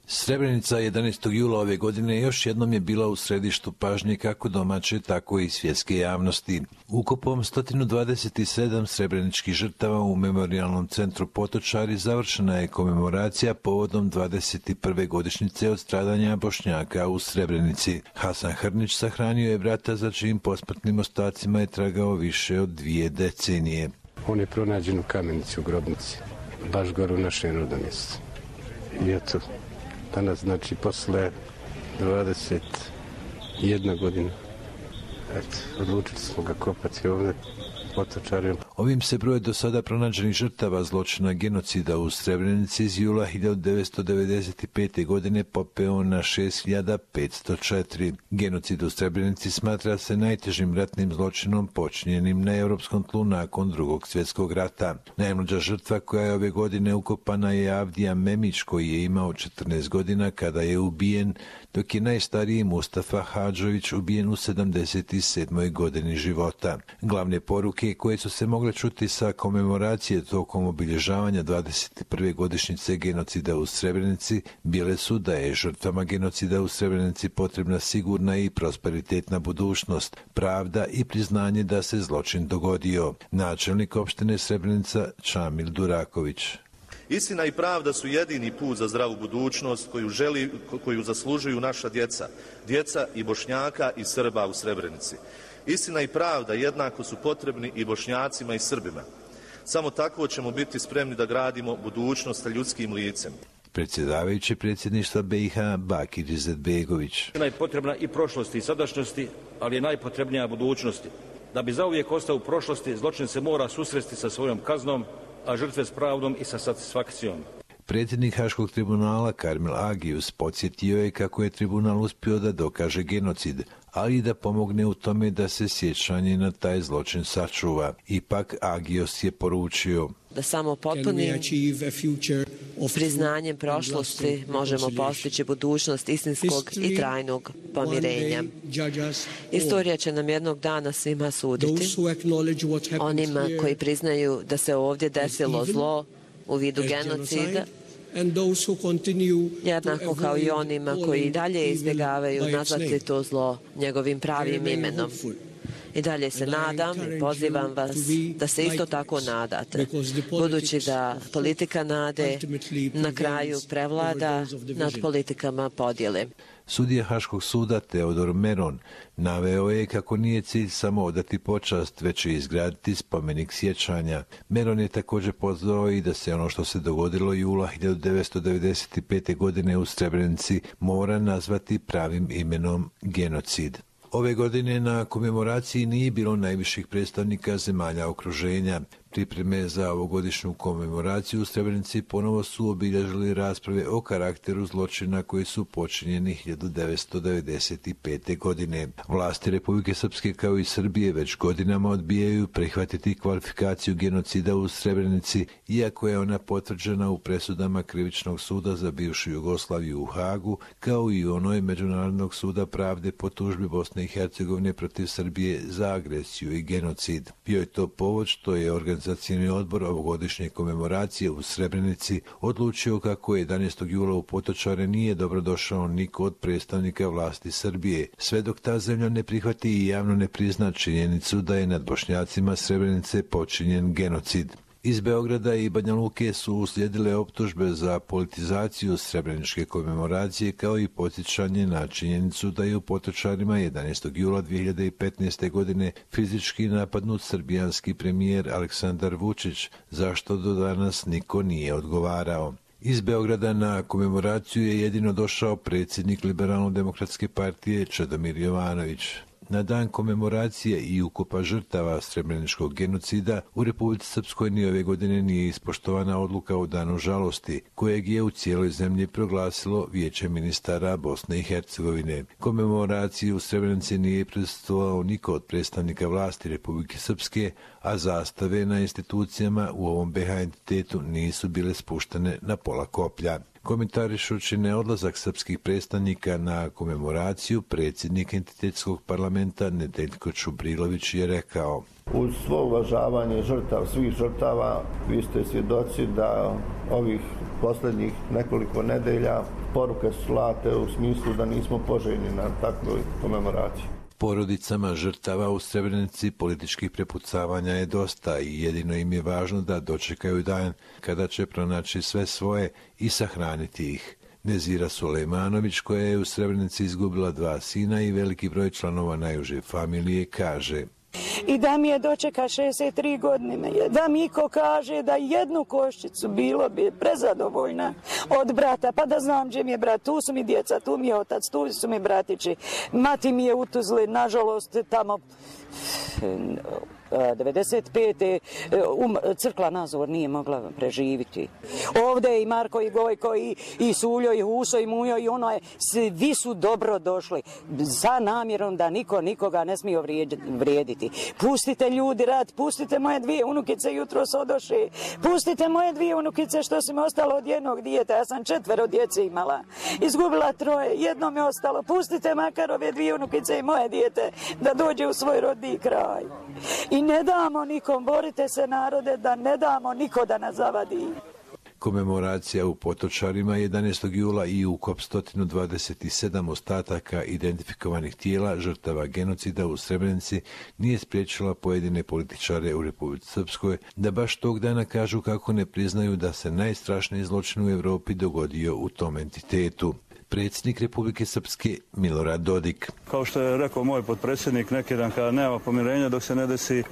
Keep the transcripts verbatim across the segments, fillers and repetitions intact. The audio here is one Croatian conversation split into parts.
Srebrenica jedanaestog jula ove godine još jednom je bila u središtu pažnje kako domaće, tako i svjetske javnosti. Ukupom sto dvadeset sedam srebreničkih žrtava u Memorijalnom centru Potočari završena je komemoracija povodom dvadeset prve godišnjice od stradanja Bošnjaka u Srebrenici. Hasan Hrnić sahranio je brata za čijim posmrtnim ostacima je tragao više od dvije decenije. On je pronađen u kamenici u grobnici, baš gore u našem rodnom mjestu. I eto, danas, znači, posle dvadeset jedna godina, eto, odlučili smo ga kopati ovdje. Ovim se broj do sada pronađenih žrtava zločina genocida u Srebrenici iz jula hiljadu devetsto devedeset pete. godine popeo na šest hiljada petsto četiri. Genocid u Srebrenici smatra se najtežim ratnim zločinom počinjenim na europskom tlu nakon drugog svjetskog rata. Najmlađa žrtva koja je ove godine ukopana je Avdija Memić, koji je imao četrnaest godina kada je ubijen, dok je najstariji Mustafa Hadžović ubijen u sedamdeset sedmoj godini života. Glavne poruke koje su se mogle čuti sa komemoracije tokom obilježavanja dvadeset prve godišnjice genocida u Srebrenici bile su da je žrtvama genocida u Srebrenici potrebna sigurna i prosperitetna budućnost, pravda i priznanje da se zločin dogodio. Načelnik opštine Srebrenica Čamil Duraković. Istina i pravda su jedini put za zdravu budućnost koju, želi, koju zaslužuju naša djeca, djeca i Bošnjaka i Srba u Srebrenici. Istina i pravda jednako su potrebni i Bošnjacima i Srbima. Samo tako ćemo biti spremni da gradimo budućnost sa ljudskim licem. Predsjedavajući predsjedništva B i H Bakir Izetbegović. Je potrebna i prošlosti i sadašnjosti, ali je najpotrebnija budućnosti. Da bi zauvijek ostao u prošlosti, zločin se mora susresti sa svojom kaznom, a žrtve s pravdom i sa satisfakcijom. Predsjednik Haškog tribunala Karmel Agius podsjetio je kako je tribunal uspio da dokaže genocid, ali i da pomogne u tome da se sjećanje na taj zločin sačuva. Ipak Agius je poručio da samo potpunim priznanjem prošlosti možemo postići budućnost istinskog i trajnog pomirenja. Istorija će nam jednog dana svima suditi. Onima koji priznaju da se ovdje desilo zlo u vidu genocida, jednako kao i onima koji i dalje izbjegavaju nazvati to zlo njegovim pravim imenom. I dalje se nadam i pozivam vas da se isto tako nadate, budući da politika nade na kraju prevlada nad politikama podjele. Sudija Haškog suda Teodor Meron naveo je kako nije cilj samo odati počast, već i izgraditi spomenik sjećanja. Meron je također pozvao i da se ono što se dogodilo jula hiljadu devetsto devedeset pete. godine u Srebrenici mora nazvati pravim imenom genocid. Ove godine na komemoraciji nije bilo najviših predstavnika zemalja okruženja. Pripreme za ovogodišnju komemoraciju u Srebrenici ponovo su obilježili rasprave o karakteru zločina koji su počinjeni hiljadu devetsto devedeset pete. godine. Vlasti Republike Srpske kao i Srbije već godinama odbijaju prihvatiti kvalifikaciju genocida u Srebrenici, iako je ona potvrđena u presudama Krivičnog suda za bivšu Jugoslaviju u Hagu, kao i u onoj Međunarodnog suda pravde po tužbi Bosne i Hercegovine protiv Srbije za agresiju i genocid. Bio je to povod što je organizacija Organizacioni odbor ovogodišnje komemoracije u Srebrenici odlučio kako jedanaestog jula u Potočare nije dobrodošao niko od predstavnika vlasti Srbije, sve dok ta zemlja ne prihvati i javno ne prizna činjenicu da je nad Bošnjacima Srebrenice počinjen genocid. Iz Beograda i Banja Luke su uslijedile optužbe za politizaciju srebreničke komemoracije kao i podsjećanje na činjenicu da je u Potočarima jedanaestog jula dvije hiljade petnaeste. godine fizički napadnut srbijanski premijer Aleksandar Vučić, zašto do danas niko nije odgovarao. Iz Beograda na komemoraciju je jedino došao predsjednik Liberalno-demokratske partije Čedomir Jovanović. Na dan komemoracije i ukopa žrtava srebreničkog genocida u Republici Srpskoj ni ove godine nije ispoštovana odluka o danu žalosti, kojeg je u cijeloj zemlji proglasilo Vijeće ministara Bosne i Hercegovine. Komemoraciji u Srebrenici nije prisustvovao niko od predstavnika vlasti Republike Srpske, a zastave na institucijama u ovom B H entitetu nisu bile spuštene na pola koplja. Komentarišući neodlazak srpskih predstavnika na komemoraciju, predsjednik entitetskog parlamenta Nedeljko Čubrilović je rekao: uz svo uvažavanje žrtav, svih žrtava, vi ste svjedoci da ovih posljednjih nekoliko nedelja poruke su slate u smislu da nismo poželjni na takvoj komemoraciji. Porodicama žrtava u Srebrenici političkih prepucavanja je dosta i jedino im je važno da dočekaju dan kada će pronaći sve svoje i sahraniti ih. Nezira Sulejmanović, koja je u Srebrenici izgubila dva sina i veliki broj članova najuže familije, kaže: i da mi je dočeka šezdeset tri godine, da mi ko kaže da jednu koščicu bilo bi prezadovoljna od brata, pa da znam gdje mi je brat, tu su mi djeca, tu mi je otac, tu su mi bratići, mati mi je u Tuzli, nažalost tamo devedeset pete Um, crkla Nazor nije mogla preživiti. Ovdje je i Marko i Gojko i, i Suljo i Huso i Mujo i ono je, svi su dobro došli sa namjerom da niko nikoga ne smije vrijediti. Pustite ljudi rad, pustite moje dvije unukice jutros odoše, pustite moje dvije unukice što su mi ostalo od jednog dijeta, ja sam četvero djece imala, izgubila troje, jedno mi je ostalo, pustite makar ove dvije unukice i moje dijete da dođe u svoj rodni kraj. I ne damo nikom, borite se narode, da ne damo niko da nas zavadi. Komemoracija u Potočarima jedanaestog jula i ukop sto dvadeset sedam ostataka identifikovanih tijela žrtava genocida u Srebrenici nije spriječila pojedine političare u Republici Srpskoj da baš tog dana kažu kako ne priznaju da se najstrašniji zločin u Europi dogodio u tom entitetu. Predsjednik Republike Srpske Milorad Dodik: kao što je rekao moj potpredsjednik neki dan, kada nema pomirenja dok se ne desi e,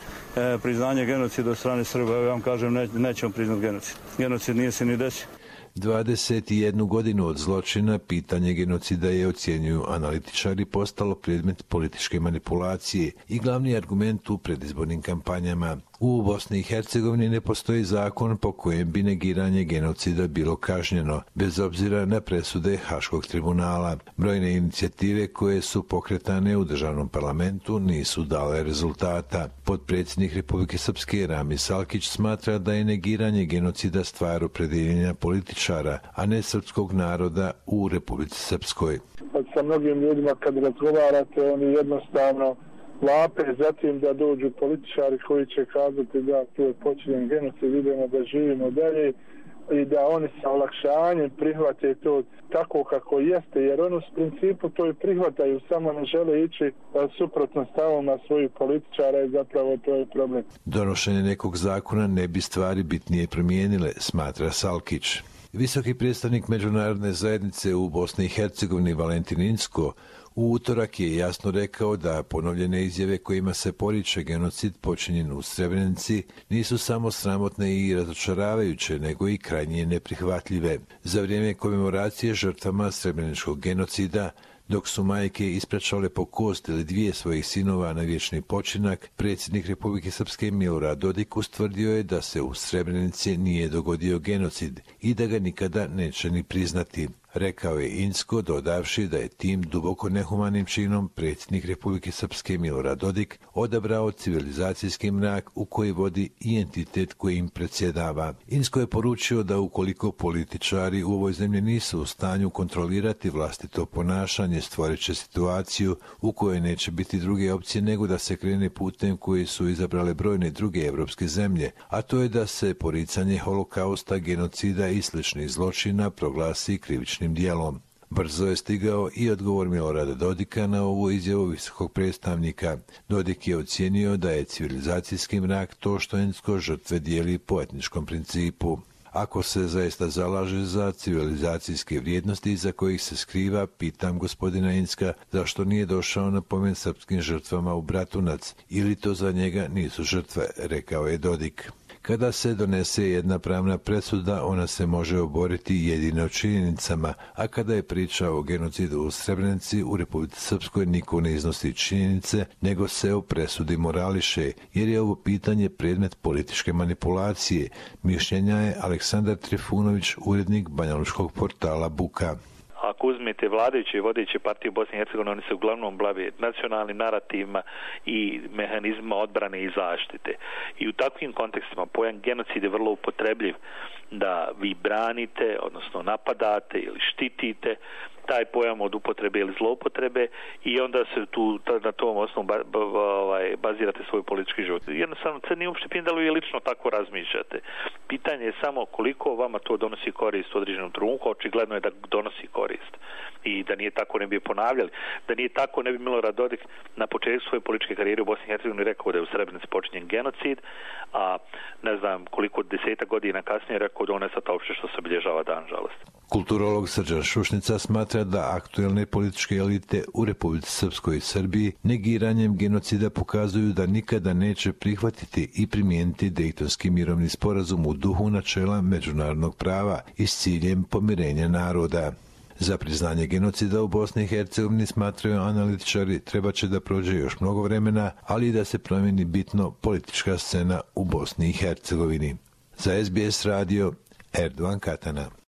priznanje genocida od strane Srba, ja vam kažem ne, nećemo priznati genocid. Genocid nije se ni desio. dvadeset jednu godinu od zločina pitanje genocida je, ocjenjuju analitičari, postalo predmet političke manipulacije i glavni argument u predizbornim kampanjama. U Bosni i Hercegovini ne postoji zakon po kojem bi negiranje genocida bilo kažnjeno, bez obzira na presude Haškog tribunala. Brojne inicijative koje su pokretane u državnom parlamentu nisu dale rezultata. Potpredsjednik Republike Srpske Rami Salkić smatra da je negiranje genocida stvar opredjeljenja političara, a ne srpskog naroda u Republici Srpskoj. Sa mnogim ljudima kad razgovarate, oni jednostavno vape zatim da dođu političari koji će kazati da tu je počinjen genocid, idemo da živimo dalje i da oni sa olakšanjem prihvate to tako kako jeste, jer oni u principu to i prihvataju, samo ne žele ići suprotno stavovima svojih političara i zapravo to je problem. Donošenje nekog zakona ne bi stvari bitnije promijenile, smatra Salkić. Visoki predstavnik međunarodne zajednice u Bosni i Hercegovini Valentin Inzko u utorak je jasno rekao da ponovljene izjave kojima se poriče genocid počinjen u Srebrenici nisu samo sramotne i razočaravajuće, nego i krajnje neprihvatljive. Za vrijeme komemoracije žrtvama srebreničkog genocida, dok su majke ispraćale po kost ili dvije svojih sinova na vječni počinak, predsjednik Republike Srpske Milorad Dodik ustvrdio je da se u Srebrenici nije dogodio genocid i da ga nikada neće ni priznati. Rekao je Inzko, dodavši da je tim duboko nehumanim činom predsjednik Republike Srpske Milorad Dodik odabrao civilizacijski mrak u koji vodi i entitet kojim predsjedava. Inzko je poručio da ukoliko političari u ovoj zemlji nisu u stanju kontrolirati vlastito ponašanje, stvorit će situaciju u kojoj neće biti druge opcije nego da se krene putem koji su izabrale brojne druge evropske zemlje, a to je da se poricanje holokausta, genocida i sličnih zločina proglasi krivičnim dijelom. Brzo je stigao i odgovor Milorada Dodika na ovu izjavu visokog predstavnika. Dodik je ocijenio da je civilizacijski mrak to što Inzko žrtve dijeli po etničkom principu. Ako se zaista zalaže za civilizacijske vrijednosti iza kojih se skriva, pitam gospodina Inzka zašto nije došao na pomen srpskim žrtvama u Bratunac, ili to za njega nisu žrtve, rekao je Dodik. Kada se donese jedna pravna presuda, ona se može oboriti jedino činjenicama, a kada je priča o genocidu u Srebrenici, u Republici Srpskoj niko ne iznosi činjenice, nego se o presudi morališe, jer je ovo pitanje predmet političke manipulacije, mišljenja je Aleksandar Trifunović, urednik banjalučkog portala Buka. Ako ako uzmete vladajuće i vodeće partije u Bosni i Hercegovini, oni se uglavnom bave nacionalnim narativima i mehanizmima odbrane i zaštite. I u takvim kontekstima pojam genocid je vrlo upotrebljiv, da vi branite, odnosno napadate ili štitite taj pojam od upotrebe ili zloupotrebe i onda se tu na tom osnovu ba, ba, ovaj, bazirate svoj politički život. Jednostavno, se nije uopšte pitanje da li vi lično tako razmišljate. Pitanje je samo koliko vama to donosi korist u određenom trenutku, očigledno je da donosi korist. I da nije tako ne bi ponavljali. Da nije tako ne bi Milorad Dodik na početku svoje političke karijere u Bosni i Hercegovini rekao da je u Srebrenici počinjen genocid, a ne znam koliko desetak godina kasnije rekao da on je sad uopšte što se obilježava dan žalosti. Kulturolog Srđan Šušnica smatra da aktuelne političke elite u Republici Srpskoj i Srbiji negiranjem genocida pokazuju da nikada neće prihvatiti i primijeniti Dejtonski mirovni sporazum u duhu načela međunarodnog prava i s ciljem pomirenja naroda. Za priznanje genocida u Bosni i Hercegovini, smatraju analitičari, treba će da prođe još mnogo vremena, ali i da se promijeni bitno politička scena u Bosni i Hercegovini. Za S B S radio, Erdovan Katana.